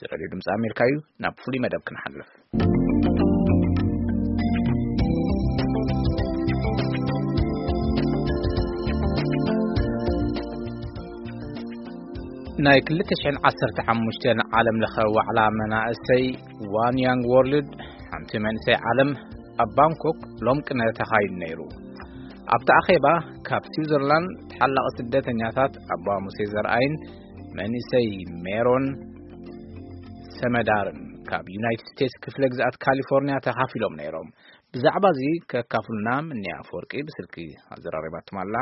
እዚ ሬድዮ ድምፂ ኣሜሪካ እዩ። ናብ ፍሉይ መደብ ክንሓልፍ። ናይ ክልተ ሽሕን ዓሰርተ ሓሙሽተን ዓለም ለኸ ዋዕላ መናእሰይ ዋን ያንግ ወርልድ፣ ሓንቲ መንእሰይ ዓለም፣ ኣብ ባንኮክ ሎም ቅነ ተኻይዱ ነይሩ። ኣብቲ ኣኼባ ካብ ስዊዘርላንድ ተሓላቒ ስደተኛታት ኣባ ሙሴ ዘርኣይን መንእሰይ ሜሮን ሰመዳርን ካብ ዩናይትድ ስቴትስ ክፍለ ግዝኣት ካሊፎርኒያ ተኻፊሎም ነይሮም። ብዛዕባ እዚ ከካፍሉና ምንያ ኣፈወርቂ ብስልኪ ኣዘራሪባትም ኣላ።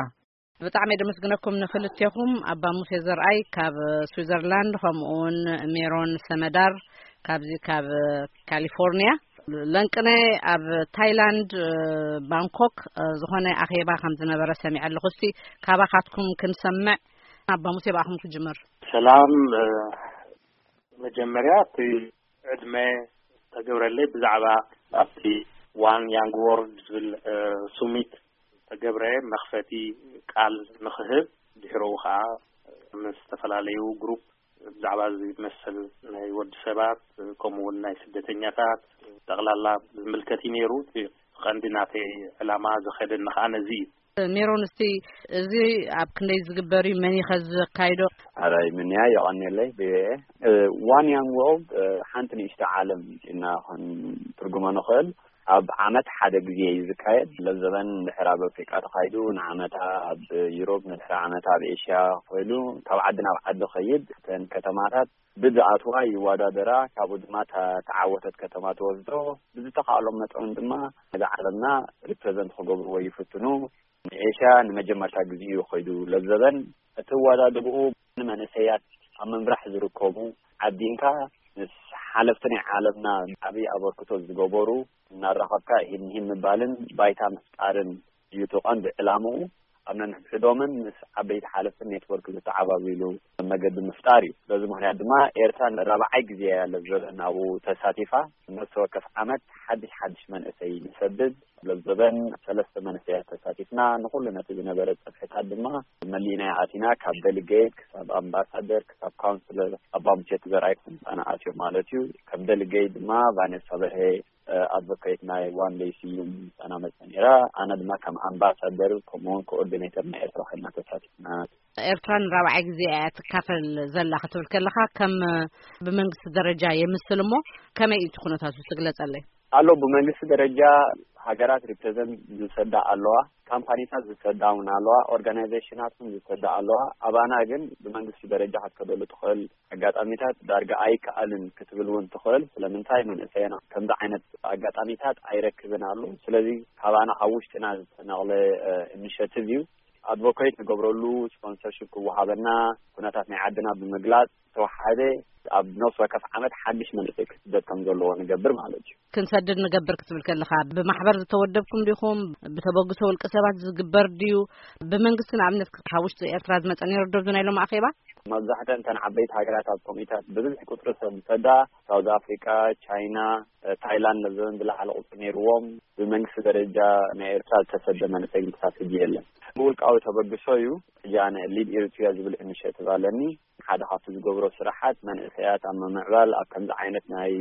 ብጣዕሚ ደመስግነኩም ንክልቴኹም፣ ኣባ ሙሴ ዘርኣይ ካብ ስዊዘርላንድ፣ ከምኡውን ሜሮን ሰመዳር ካብዚ ካብ ካሊፎርኒያ። ለንቅነ ኣብ ታይላንድ፣ ባንኮክ፣ ዝኾነ ኣኼባ ከም ዝነበረ ሰሚዐ ኣለኹ። እስቲ ካባኻትኩም ክንሰምዕ። ኣባ ሙሴ፣ ብኣኹም ክጅምር። ሰላም። መጀመርያ እቲ ዕድመ ተገብረለይ ብዛዕባ ኣብቲ ዋን ያንግ ወርልድ ዝብል ሱሚት ተገብረ መኽፈቲ ቃል ንኽህብ፣ ድሕረኡ ከዓ ምስ ዝተፈላለዩ ግሩፕ ብዛዕባ እዚ መሰል ናይ ወዲ ሰባት፣ ከምኡ እውን ናይ ስደተኛታት ጠቕላላ ዝምልከት እዩ ነይሩ። እቲ ቀንዲ ናተይ ዕላማ ዝኸደኒ ከዓ ነዚ እዩ። ሜሮን፣ እስቲ እዚ ኣብ ክንደይ ዝግበር እዩ? መን እዩ ከ ዘካይዶ? ኣራይ ምንያ የቐንየለይ ብኤ ዋን ያንግ ወርልድ ሓንቲ ንእሽቶ ዓለም ኢና ክንትርጉሞ ንኽእል። ኣብ ዓመት ሓደ ግዜ እዩ ዝካየድ። ለዘበን ድሕር ኣብ ኣፍሪቃ ተኻይዱ፣ ንዓመታ ኣብ ዩሮፕ፣ ንድሕር ዓመታ ኣብ ኤሽያ ኮይኑ ካብ ዓዲ ናብ ዓዲ ኸይድ። እተን ከተማታት ብዝኣትዋ ይወዳደራ፣ ካብኡ ድማ እታ ተዓወተት ከተማ ትወስዶ። ብዝተኻእሎም መጠን ድማ ነዛ ዓለምና ሪፕረዘንት ክገብርዎ ይፍትኑ። ንኤሽያ ንመጀመርታ ግዜ እዩ ኸይዱ። ለዘበን እቲ ወዳድርኡ ንመንእሰያት ኣብ ምምራሕ ዝርከቡ ዓዲንካ ምስ ሓለፍቲ ናይ ዓለምና ዓብዪ ኣበርክቶ ዝገበሩ እናራኸብካ ሂን ሂን ምባልን ባይታ ምፍጣርን እዩ እቲ ቀንዲ ዕላምኡ። ኣብ ነንሕድሕዶምን ምስ ዓበይቲ ሓለፍቲ ኔትወርክ ዝተዓባብሉ መገዲ ምፍጣር እዩ። በዚ ምኽንያት ድማ ኤርትራ ንራብዓይ ግዜ እያ ለዘበን ኣብኡ ተሳቲፋ። ነፍሲ ወከፍ ዓመት ሓድሽ ሓድሽ መንእሰይ ንሰድድ። ለዘበን ሰለስተ መንእሰያት ተሳቲፍና። ንኹሉ ነቲ ዝነበረ ጸፍሕታት ድማ መሊእና ኣቲና። ካብ ደሊጌት ክሳብ ኣምባሳደር ክሳብ ካውንስለር ኣባ ሙሴ ዘርኣይ ምጻና ኣትዮም ማለት እዩ። ከም ደሊጌት ድማ ቫኔሳ በርሄ፣ እ፣ ኣድቮኬት ናይ ዋን ደይ ስዩም ምጻና መጸ ነይራ። ኣነ ድማ ከም ኣምባሳደር ከምኡውን ኮኦርዲኔተር ናይ ኤርትራ ኮይና ተሳቲፍና። ኤርትራ ንራብዓይ ግዜ እያ ትካፈል ዘላ ክትብል ከለኻ፣ ከም ብመንግስቲ ደረጃ የምስል እሞ፣ ከመይ እዩ እቲ ኩነታቱ? ትግለጸለይ። ኣሎ፣ ብመንግስቲ ደረጃ ሃገራት ሪፕሬዘንት ዝሰዳ ኣለዋ፣ ካምፓኒታት ዝሰዳ እውን ኣለዋ፣ ኦርጋናይዜሽናት እውን ዝሰዳ ኣለዋ። ኣባና ግን ብመንግስቲ ደረጃ ክትከደሉ ትኽእል ኣጋጣሚታት ዳርጋ ኣይከኣልን ክትብል እውን ትኽእል። ስለምንታይ መንእሰይና ከምዚ ዓይነት ኣጋጣሚታት ኣይረክብን ኣሎ። ስለዚ ካባና ካብ ውሽጥና ዝተነቕለ፣ እ፣ ኢኒሼቲቭ እዩ። ኣድቮኬት ንገብረሉ፣ ስፖንሰርሺፕ ክወሃበና፣ ኩነታት ናይ ዓድና ብምግላጽ ዝተወሓደ ኣብ ነፍሲ ወከፍ ዓመት ሓድሽ መንእሰይ ክስደድ ከም ዘለዎ ንገብር ማለት እዩ። ክንሰድድ ንገብር ክትብል ከለኻ ብማሕበር ዝተወደብኩም ዲኹም? ብተበግሶ ውልቀ ሰባት ዝግበር ድዩ? ብመንግስቲ ንኣብነት ካብ ውሽጢ ኤርትራ ዝመጸ ነይሩ ዶ ኣብዚ ናይ ሎም ኣኼባ? መብዛሕተን እተን ዓበይቲ ሃገራት ኣብ ኮሚታት ብብዝሒ ቁጽሪ ሰብ ዝሰዳ ሳውዝ ኣፍሪቃ፣ ቻይና፣ ታይላንድ ነዘን ዝለዓለ ቁጽሪ ነይርዎም። ብመንግስቲ ደረጃ ናይ ኤርትራ ዝተሰደ መንእሰይ ግን ክሳብ ሕጂ የለን። ብውልቃዊ ተበግሶ እዩ። ሕጂ ኣነ ሊድ ኤሪትሪያ ዝብል ኢኒሼቲቭ ኣለኒ። ሓደ ካብቲ ዝገብሮ ስራሓት መንእሰያት ኣብ ምምዕባል ኣብ ከምዚ ዓይነት ናይ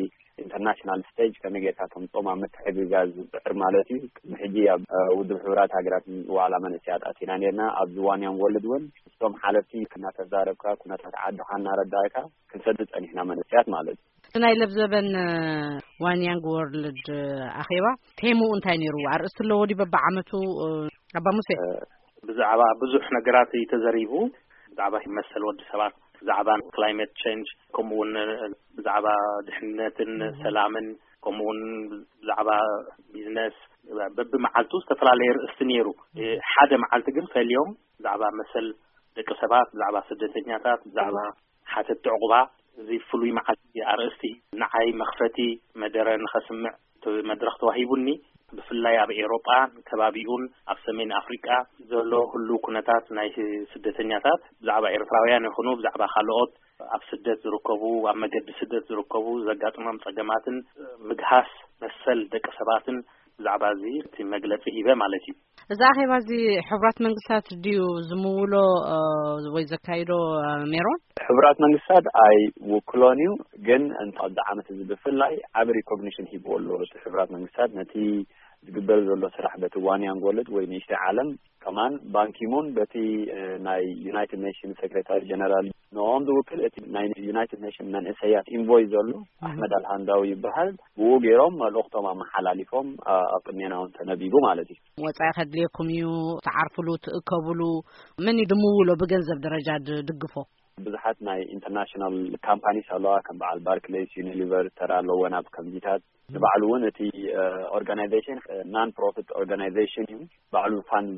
ኢንተርናሽናል ስቴጅ ከመይ ጌርካ ከምጾም ኣብ ምትሕግጋዝ ዝጽዕር ማለት እዩ። ቅድሚ ሕጂ ኣብ፣ እ፣ ውድብ ሕቡራት ሃገራት ዋዕላ መንእሰያት ኣቲና ኔርና። ኣብዚ ዋን ያንግ ወርልድ እውን ምስቶም ሓለፍቲ እናተዛረብካ ኩነታት ዓድኻ እናረዳእካ ክንሰድድ ጸኒሕና መንእሰያት ማለት እዩ። እቲ ናይ ለብዘበን፣ እ፣ ዋን ያንግ ወርልድ፣ እ፣ ኣኼባ ቴምኡ እንታይ ነይሩ? ኣርእስቲ ኣለዎ ድዩ በብዓመቱ፣ እ፣ ኣባ ሙሴ? እ፣ ብዛዕባ ብዙሕ ነገራት እዩ ተዘሪቡ። ብዛዕባ መሰል ወዲ ሰባት፣ ብዛዕባ ክላይመት ቼንጅ፣ ከምኡ እውን ብዛዕባ ድሕነትን ሰላምን፣ ከምኡ እውን ብዛዕባ ቢዝነስ፣ በብመዓልቱ ዝተፈላለየ ርእስቲ ነይሩ። ሓደ መዓልቲ ግን ፈልዮም ብዛዕባ መሰል ደቂ ሰባት፣ ብዛዕባ ስደተኛታት፣ ብዛዕባ ሓተቲ ዕቑባ፣ እዚ ፍሉይ መዓልቲ ኣርእስቲ ንዓይ መኽፈቲ መደረ ንኸስምዕ እቲ መድረኽ ተዋሂቡኒ። ብፍላይ ኣብ ኤውሮጳን ከባቢኡን ኣብ ሰሜን ኣፍሪቃ ዘሎ ህሉው ኩነታት ናይ ስደተኛታት፣ ብዛዕባ ኤርትራውያን ይኹኑ ብዛዕባ ካልኦት ኣብ ስደት ዝርከቡ፣ ኣብ መገዲ ስደት ዝርከቡ ዘጋጥሞም ጸገማትን ምግሃስ መሰል ደቂ ሰባትን ብዛዕባ እዚ እቲ መግለጺ ሂበ ማለት እዩ። እዚ ኣኼባ እዚ ሕቡራት መንግስታት ድዩ ዝምውሎ፣ እ፣ ወይ ዘካይዶ፣ እ፣ ሜሮን? ሕቡራት መንግስታት ኣይውክሎን እዩ፣ ግን እንተ ኣብዚ ዓመት እዚ ብፍላይ ዓቢ ሪኮግኒሽን ሂብዎ ኣሎ። እቲ ሕቡራት መንግስታት ነቲ ዝግበር ዘሎ ስራሕ በቲ ዋን ያንግ ወርልድ ወይ ንእሽተይ ዓለም ከማን ባንኪሙን በቲ፣ እ፣ ናይ ዩናይትድ ኔሽን ሴክሬታሪ ጀነራል ንኦም ዝውክል እቲ ናይ ዩናይትድ ኔሽን መንእሰያት ኢንቮይ ዘሎ ኣሕመድ ኣልሃንዳዊ ይበሃል። ብኡ ገይሮም መልእኽቶም ኣመሓላሊፎም፣ ኣ-፣ ኣብ ቅድሜና እውን ተነቢቡ ማለት እዩ። ወጻኢ ከድልየኩም እዩ፣ ትዓርፍሉ፣ ትእከብሉ። መን እዩ ድምውሎ ብገንዘብ ደረጃ ድድግፎ? ብዙሓት ናይ ኢንተርናሽናል ካምፓኒስ ኣለዋ፣ ከም በዓል ባርክሌይስ፣ ዩኒሊቨር ተራ ኣለወን ኣብ ከምዚታት። ንባዕሉ እውን እቲ፣ እ፣ ኦርጋናይዜሽን፣ እ፣ ናን ፕሮፊት ኦርጋናይዜሽን እዩ። ባዕሉ ፋንድ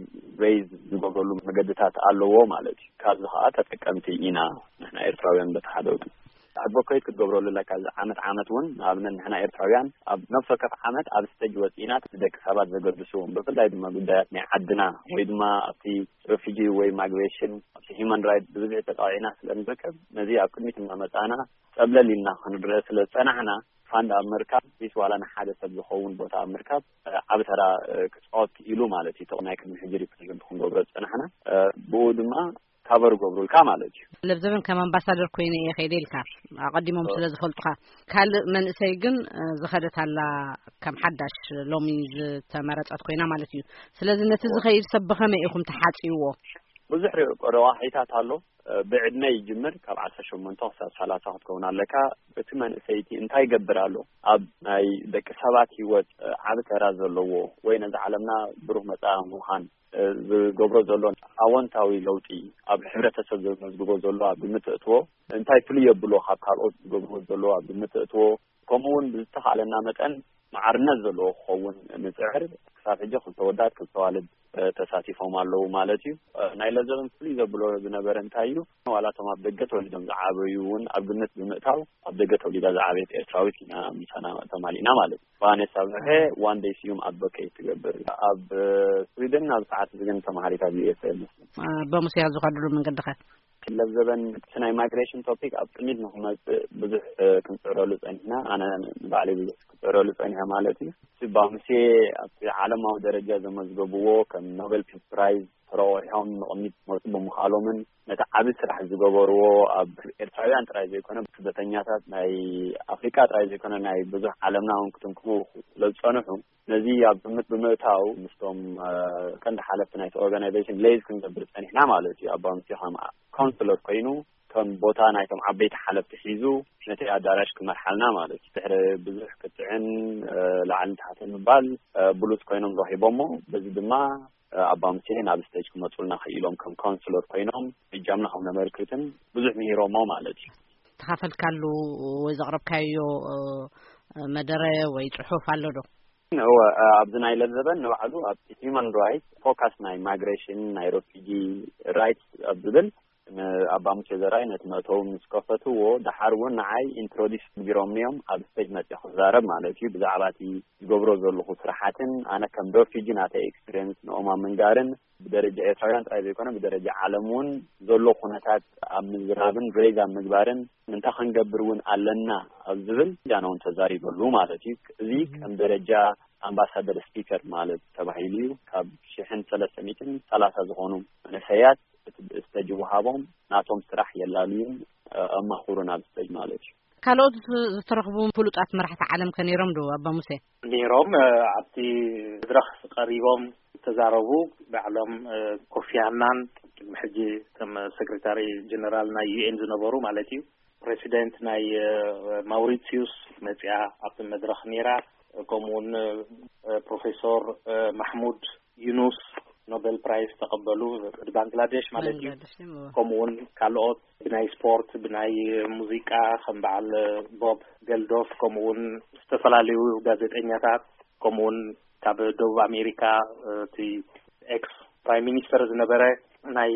ሬይዝ ዝገብረሉ መገድታት ኣለዎ ማለት እዩ። ካብዚ ከዓ ተጠቀምቲ ኢና ንሕና ኤርትራውያን በቲ ሓደ ወገን። ኣድቮኬት ክትገብረሉ ኣለካ። እዚ ዓመት ዓመት እውን ንኣብነት ንሕና ኤርትራውያን ኣብ ነፍሲ ወከፍ ዓመት ኣብ ስቴጅ ወፂእና ንደቂ ሰባት ዘገድሱ ብፍላይ ድማ ጉዳያት ናይ ዓድና ወይ ድማ ኣብቲ ሬፊጂ ወይ ማይግሬሽን ኣብቲ ሂማን ራይት ብብዝሒ ተጣቂዕና ስለ ንርከብ ነዚ ኣብ ቅድሚት እናመፃና ጸብለል ኢልና ክንረአ ስለ ዝጸናሕና ፋንድ ኣብ ምርካብ ቢስ ዋላ ንሓደ ሰብ ዝኸውን ቦታ ኣብ ምርካብ ዓቢ ተራ ክጻወት ክኢሉ ማለት እዩ። ናይ ቅድሚ ሕጂ ሪፕሬዘንት ክንገብሮ ዝጸናሕና ብኡ ድማ ካቨር ገብሩልካ ማለት እዩ። ለብዘበን ከም ኣምባሳደር ኮይነ እየ ከይደ ኢልካ ኣቐዲሞም ስለ ዝፈልጡኻ። ካልእ መንእሰይ ግን ዝኸደት ኣላ ከም ሓዳሽ ሎሚ ዝተመረጸት ኮይና ማለት እዩ። ስለዚ ነቲ ዝኸይድ ሰብ ብኸመይ ኢኹም ተሓጽይዎ? ብዙሕ ረዋሒታት ኣሎ። ብዕድመ ይጅምር፣ ካብ ዓሰርተ ሸሞንተ ክሳብ ሰላሳ ክትከውን ኣለካ። እቲ መንእሰይቲ እንታይ ይገብር ኣሎ? ኣብ ናይ ደቂ ሰባት ህይወት ዓቢ ተራ ዘለዎ ወይ ነዚ ዓለምና ብሩህ መጻኢ ምዃን ዝገብሮ ዘሎ ኣወንታዊ ለውጢ ኣብ ሕብረተሰብ ዘመዝግቦ ዘሎ ኣብ ግምት እትዎ እንታይ ፍልይ የብሎ ካብ ካልኦት ዝገብርዎ ዘሎ ኣብ ግምት እትዎ ከምኡ እውን ብዝተኻለና መጠን ማዕርነት ዘለዎ ክኸውን ንፅዕር። ክሳብ ሕጂ ክልተ ወዳት ክልተ ዋልድ ተሳቲፎም ኣለዉ ማለት እዩ። ናይ ለዘበን ፍሉይ ዘብሎ ዝነበረ እንታይ እዩ? ዋላ እቶም ኣብ ደገ ተወሊዶም ዝዓበዩ እውን ኣብ ግምት ብምእታው ኣብ ደገ ተወሊዳ ዝዓበየት ኤርትራዊት ኢና ምሳና ተማሊእና ማለት እዩ። ቫኔሳ ብርሀ ዋን ደይ ስዩም ኣድቮኬት ትገብር ኣብ ስዊድን ኣብ ሰዓት እዚ ግን ተማሃሪት ኣብ ዩ ኤስ ኤ መስለኝ። ኣባ ሙሴ ዝኸድሉ መንገዲ ኸ? ለዘበን እቲ ናይ ማይግሬሽን ቶፒክ ኣብ ቅድሚት ንክመፅእ ብዙሕ ክንፅዕረሉ ፀኒሕና። ኣነ ንባዕለይ ብዙሕ ክፅዕረሉ ፀኒሐ ማለት እዩ። ባምሴ ኣብቲ ዓለማዊ ደረጃ ዘመዝገብዎ ከም ኖቤል ፒስ ፕራይዝ ተረቑሖም ንቕድሚት ክመፁ ብምኽኣሎምን ነቲ ዓቢ ስራሕ ዝገበርዎ ኣብ ኤርትራውያን ጥራይ ዘይኮነ ስደተኛታት ናይ ኣፍሪቃ ጥራይ ዘይኮነ ናይ ብዙሕ ዓለምና እውን ክትንክፉ ስለ ዝፀንሑ ነዚ ኣብ ግምት ብምእታው ምስቶም ቀንዲ ሓለፍቲ ናይቲ ኦርጋናይዜሽን ሌዝ ክንገብር ፀኒሕና ማለት እዩ። ኣባ ሙሴ ከም ካውንስለር ኮይኑ ከም ቦታ ናይቶም ዓበይቲ ሓለፍቲ ሒዙ ነቲ ኣዳራሽ ክመርሓልና ማለት እዩ። ድሕሪ ብዙሕ ክትዕን ላዕልን ታሕትን ምባል ብሉጽ ኮይኖም ረኺቦሞ። በዚ ድማ ኣባ ሙሴ ናብ ስቴጅ ክመፁልና ክኢሎም ከም ካውንስለር ኮይኖም እጃምና ከም ነመልክትን ብዙሕ ምሂሮሞ ማለት እዩ። ተኻፈልካሉ ወይ ዘቕረብካዮ መደረ ወይ ጽሑፍ ኣሎ ዶ? እወ፣ ኣብዚ ናይ ለዘበን ንባዕሉ ኣብ ሂማን ራይት ፎካስ ናይ ማይግሬሽን ናይ ሮፊጂ ራይት ኣብ ዝብል ንኣባ ሙሴ ዘርኣይ ነቲ መእተዊ ምስ ከፈትዎ ደሓር እውን ንዓይ ኢንትሮዲስ ቢሮም እዮም ኣብ ስቴጅ መፅእ ክዛረብ ማለት እዩ ብዛዕባ እቲ ዝገብሮ ዘለኹ ስራሓትን ኣነ ከም ሮፊጂ ናተይ ኤክስፒሪየንስ ንኦም ኣብ ምንጋርን ብደረጃ ኤርትራውያን ጥራይ ዘይኮነ ብደረጃ ዓለም እውን ዘሎ ኩነታት ኣብ ምዝራብን ሬዝ ኣብ ምግባርን እንታይ ክንገብር እውን ኣለና ኣብ ዝብል ጃና እውን ተዛሪበሉ ማለት እዩ። እዚ ከም ደረጃ ኣምባሳደር ስፒከር ማለት ተባሂሉ እዩ። ካብ ሽሕን ሰለስተ ሚእትን ሰላሳ ዝኾኑ መንእሰያት እቲ ብእስተጅ ወሃቦም ናቶም ስራሕ የላልዩን ኣማኽሩን ኣብ ስተጅ ማለት እዩ። ካልኦት ዝተረኽቡ ፍሉጣት መራሕቲ ዓለም ከ ነይሮም ዶ ኣባ ሙሴ? ነይሮም። ኣብቲ መድረኽ ቀሪቦም ዝተዛረቡ ባዕሎም ኮፊ ኣናን ቅድሚ ሕጂ ከም ሴክሬታሪ ጀነራል ናይ ዩ ኤን ዝነበሩ ማለት እዩ ፕሬዚደንት ናይ ማውሪሲዩስ መፅያ ኣብቲ መድረኽ ነይራ። ከምኡውን ፕሮፌሶር ማሕሙድ ዩኑስ ኖቤል ፕራይዝ ዝተቐበሉ ባንግላዴሽ ማለት እዩ። ከምኡውን ካልኦት ብናይ ስፖርት ብናይ ሙዚቃ ከም በዓል ቦብ ገልዶፍ ከምኡውን ዝተፈላለዩ ጋዜጠኛታት ከምኡውን ካብ ደቡብ ኣሜሪካ እቲ ኤክስ ፕራይም ሚኒስተር ዝነበረ ናይ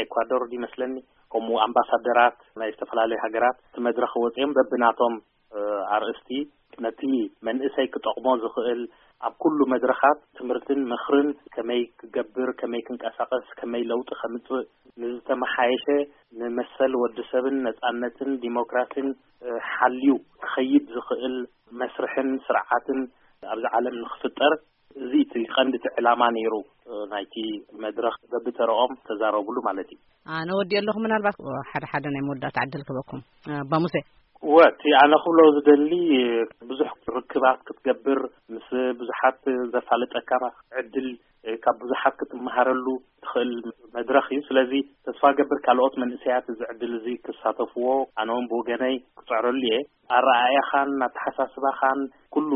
ኤኳዶር ይመስለኒ ከምኡ ኣምባሳደራት ናይ ዝተፈላለዩ ሃገራት እቲ መድረኽ ወፂኦም በብናቶም ኣርእስቲ ነቲ መንእሰይ ክጠቕሞ ዝኽእል ኣብ ኩሉ መድረኻት ትምህርትን ምኽርን ከመይ ክገብር ከመይ ክንቀሳቐስ ከመይ ለውጢ ከምፅእ ንዝተመሓየሸ ንመሰል ወዲ ሰብን ነፃነትን ዲሞክራሲን ሓልዩ ክኸይድ ዝኽእል መስርሕን ስርዓትን ኣብዚ ዓለም ንክፍጠር፣ እዚ እቲ ቀንዲ እቲ ዕላማ ነይሩ፣ እ፣ ናይቲ መድረኽ። በብተረኦም ተዛረቡሉ ማለት እዩ። ኣነ ወዲ ኣለኹ፣ ምናልባት ሓደ ሓደ ናይ መወዳእታ ዕድል ክበኩም። ኣባ ሙሴ። ወ፣ እቲ ኣነ ክብሎ ዝደሊ፣ ብዙሕ ርክባት ክትገብር፣ ምስ ብዙሓት ዘፋልጠካ ዕድል፣ ካብ ብዙሓት ክትመሃረሉ ትኽእል መድረኽ እዩ። ስለዚ ተስፋ ገብር ካልኦት መንእሰያት እዚ ዕድል እዚ ክሳተፍዎ፣ ኣነ እውን ብወገነይ ክጽዕረሉ እየ። ኣረኣእያኻን ኣተሓሳስባኻን ኩሉ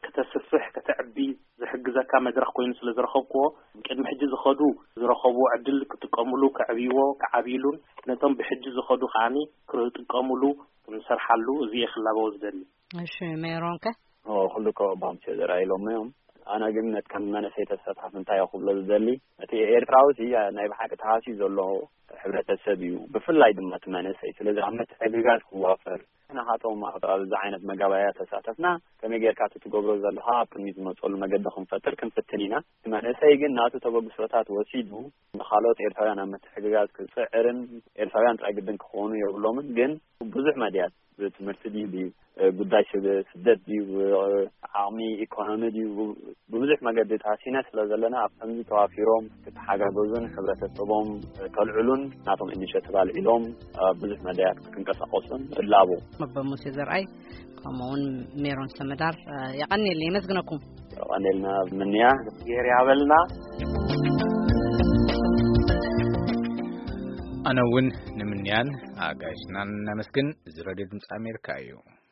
ከተስፍሕ፣ ከተዕቢ ዝሕግዘካ መድረኽ ኮይኑ ስለ ዝረኸብክዎ፣ ቅድሚ ሕጂ ዝኸዱ ዝረኸብዎ ዕድል ክጥቀሙሉ፣ ከዕብይዎ፣ ክዓብይሉን ነቶም ብሕጂ ዝኸዱ ከዓኒ ክጥቀሙሉ ክንሰርሓሉ፣ እዚ እየ ክላበዎ ዝደሊ። እሺ፣ ሜሮን ከ? ኦ፣ ኩሉ እኮ ባምሴ ዘርኣይ ኢሎሞ እዮም። ኣነ ግን ነቲ ከም መንእሰይ ተሳታፊ እንታይ እየ ክብሎ ዝደሊ፣ እቲ ኤርትራዊ እዚ ናይ ብሓቂ ተሃስዩ ዘሎ ሕብረተሰብ እዩ፣ ብፍላይ ድማ እቲ መንእሰይ። ስለዚ ኣብ ምትሕግጋዝ ክዋፈር፣ ንኻቶም ኣብ፣ ኣብዚ ዓይነት መጋባእያ ተሳተፍና፣ ከመይ ጌርካ እቲ ትገብሮ ዘለኻ ኣብ ቅድሚት ዝመፀሉ መገዲ ክንፈጥር ክንፍትን ኢና። እቲ መንእሰይ ግን ናቱ ተበግሶታት ወሲዱ ንኻልኦት ኤርትራውያን ኣብ ምትሕግጋዝ ክፅዕርን፣ ኤርትራውያን ጥራይ ግድን ክኾኑ የብሎምን፣ ግን ብዙሕ መድያት ብትምህርቲ ድዩ፣ ብጉዳይ ስደ-፣ ስደት ድዩ፣ ዓቕሚ ኢኮኖሚ ድዩ፣ ብብዙሕ መገዲ ተሃሲና ስለ ዘለና፣ ኣብ ከምዚ ተዋፊሮም ክተሓጋገዙን ሕብረተሰቦም ከልዕሉን ናቶም ኢኒሼቲቭ ኣልዒሎም ኣብ ብዙሕ መዳያት ክንቀሳቐሱን እላቦ። ኣባ ሙሴ ዘርኣይ፣ ከምኡውን ሜሮን ሰመዳር፣ የቐንየለይ፣ የመስግነኩም። የቐንየልና ምንያ። ጌር ያበልና። ኣነ እውን ንምንያን ኣጋይሽናን ነመስግን። እዚ ሬድዮ ድምፂ ኣሜሪካ እዩ።